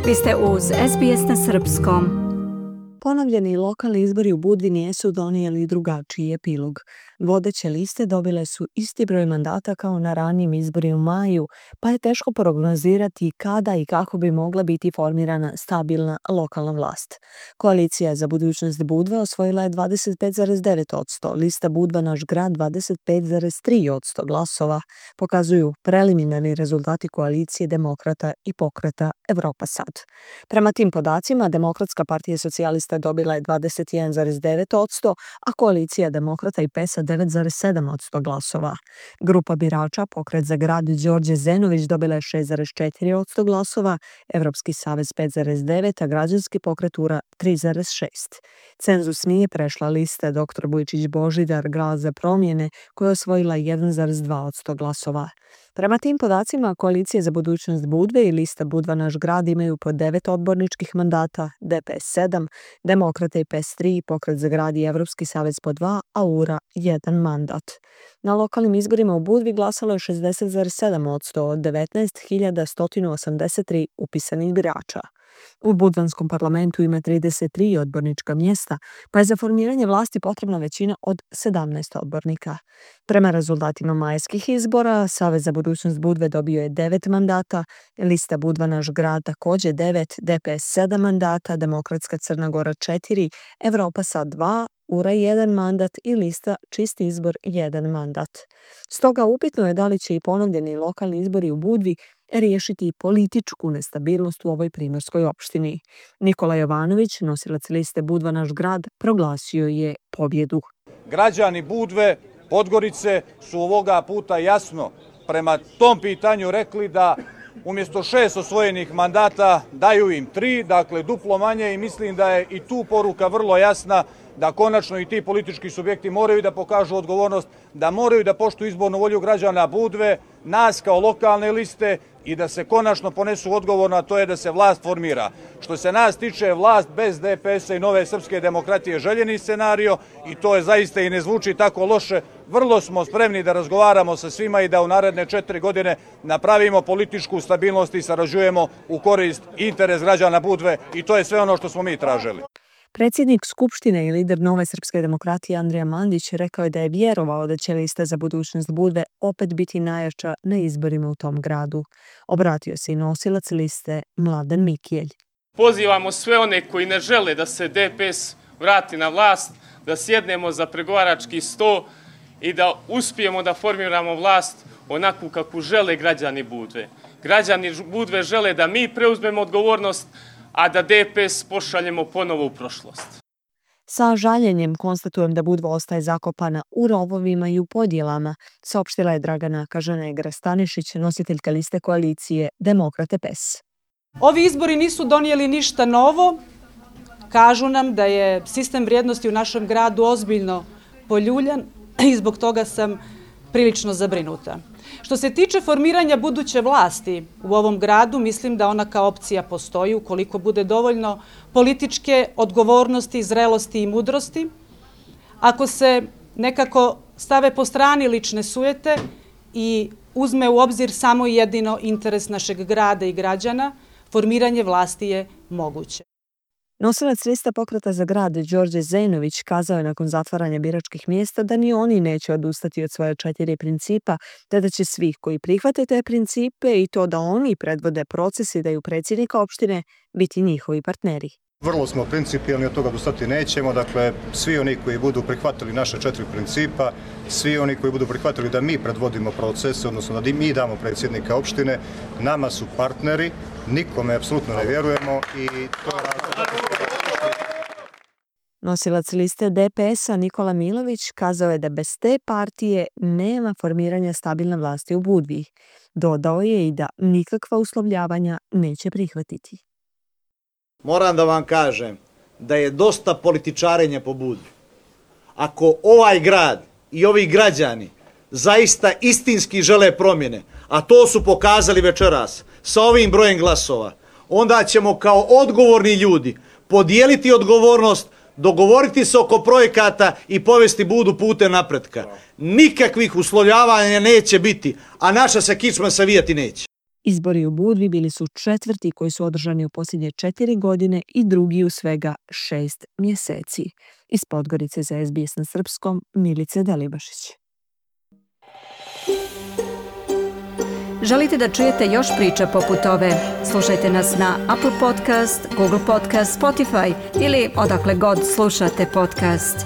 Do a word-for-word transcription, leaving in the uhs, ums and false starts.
Vi ste uz S B S na srpskom. Ponovljeni lokalni izbori u Budvi nisu donijeli drugačiji epilog. Vodeće liste dobile su isti broj mandata kao na ranijim izborima u maju, pa je teško prognozirati kada i kako bi mogla biti formirana stabilna lokalna vlast. Koalicija za budućnost Budve osvojila je dvadeset pet zarez devet posto, lista Budva naš grad dvadeset pet zarez tri posto glasova, pokazuju preliminarni rezultati koalicije Demokrata i Pokreta Evropa sad. Prema tim podacima, Demokratska partija socijalista dobila je dvadeset jedan zarez devet posto, a koalicija Demokrata i P E S A devet zarez sedam posto glasova. Grupa birača Pokret za grad Đorđe Zenović dobila je šest zarez četiri posto glasova, Evropski savez pet zarez devet, a Građanski pokret U R A tri zarez šest. Cenzus nije prešla lista doktor Vujčić Božidar Glas za promjene, koja je osvojila jedan zarez dva posto glasova. Prema tim podacima, koalicija za budućnost Budve i lista Budva naš grad imaju po devet odborničkih mandata, D P S sedam, Demokrata i P E S tri, Pokret za grad i Evropski savez po dva, a U R A jedan mandat. Na lokalnim izborima u Budvi glasalo je šezdeset zarez sedam posto od devetnaest hiljada sto osamdeset tri upisanih birača. U budvanskom parlamentu ima trideset tri odbornička mjesta, pa je za formiranje vlasti potrebna većina od sedamnaest odbornika. Prema rezultatima majskih izbora, Savez za budućnost Budve dobio je devet mandata, lista Budva naš grad također devet, D P S sedam mandata, Demokratska Crna Gora četiri, Evropa sad dva, U R A jedan mandat i lista Čist izbor jedan mandat. Stoga upitno je da li će i ponovljeni lokalni izbori u Budvi riješiti političku nestabilnost u ovoj primorskoj opštini. Nikola Jovanović, nosilac liste Budva naš grad, proglasio je pobjedu. Građani Budve, Podgorice su ovoga puta jasno prema tom pitanju rekli da umjesto šest osvojenih mandata daju im tri, dakle duplo manje, i mislim da je i tu poruka vrlo jasna da konačno i ti politički subjekti moraju da pokažu odgovornost, da moraju da poštuju izbornu volju građana Budve, nas kao lokalne liste, i da se konačno ponesu odgovorno, a to je da se vlast formira. Što se nas tiče, vlast bez D P S-a i Nove srpske demokratije željeni scenario, i to je zaista i ne zvuči tako loše. Vrlo smo spremni da razgovaramo sa svima i da u naredne četiri godine napravimo političku stabilnost i sarađujemo u korist i interes građana Budve, i to je sve ono što smo mi tražili. Predsjednik Skupštine i lider Nove srpske demokratije Andrija Mandić rekao je da je vjerovao da će lista za budućnost Budve opet biti najjača na izborima u tom gradu. Obratio se i nosilac liste Mladen Mikijelj. Pozivamo sve one koji ne žele da se D P S vrati na vlast, da sjednemo za pregovarački sto i da uspijemo da formiramo vlast onakvu kakvu žele građani Budve. Građani Budve žele da mi preuzmemo odgovornost, a da D P S pošaljemo ponovo u prošlost. Sa žaljenjem konstatujem da Budva ostaje zakopana u rovovima i u podjelama, saopštila je Dragana Kažanegra-Stanišić, nositeljka liste koalicije Demokrate P E S. Ovi izbori nisu donijeli ništa novo. Kažu nam da je sistem vrijednosti u našem gradu ozbiljno poljuljan i zbog toga sam prilično zabrinuta. Što se tiče formiranja buduće vlasti u ovom gradu, mislim da ona kao opcija postoji ukoliko bude dovoljno političke odgovornosti, zrelosti i mudrosti. Ako se nekako stave po strani lične sujete i uzme u obzir samo i jedino interes našeg grada i građana, formiranje vlasti je moguće. Nosilac lista Pokreta za grad Đorđe Zenović kazao je nakon zatvaranja biračkih mjesta da ni oni neće odustati od svoje četiri principa, te da će svi koji prihvate te principe i to da oni predvode proces i daju predsjednika opštine biti njihovi partneri. Vrlo smo principijelni, od toga odustati nećemo, dakle svi oni koji budu prihvatili naše četiri principa, svi oni koji budu prihvatili da mi predvodimo proces, odnosno da mi damo predsjednika opštine, nama su partneri, nikome apsolutno ne vjerujemo i to je razlog. Nosilac liste D P S-a Nikola Milović kazao je da bez te partije nema formiranja stabilne vlasti u Budvi. Dodao je i da nikakva uslovljavanja neće prihvatiti. Moram da vam kažem da je dosta političarenja po Budvi. Ako ovaj grad i ovi građani zaista istinski žele promjene, a to su pokazali večeras sa ovim brojem glasova, onda ćemo kao odgovorni ljudi podijeliti odgovornost, dogovoriti se oko projekata i povesti Budu putem napretka. Nikakvih uslovljavanja neće biti, a naša se kičma savijati neće. Izbori u Budvi bili su četvrti koji su održani u posljednje četiri godine i drugi u svega šest mjeseci. Iz Podgorice za S B S na srpskom, Milica Delibašić. Želite da čujete još priča poput ove? Slušajte nas na Apple Podcast, Google Podcast, Spotify ili odakle god slušate podcast.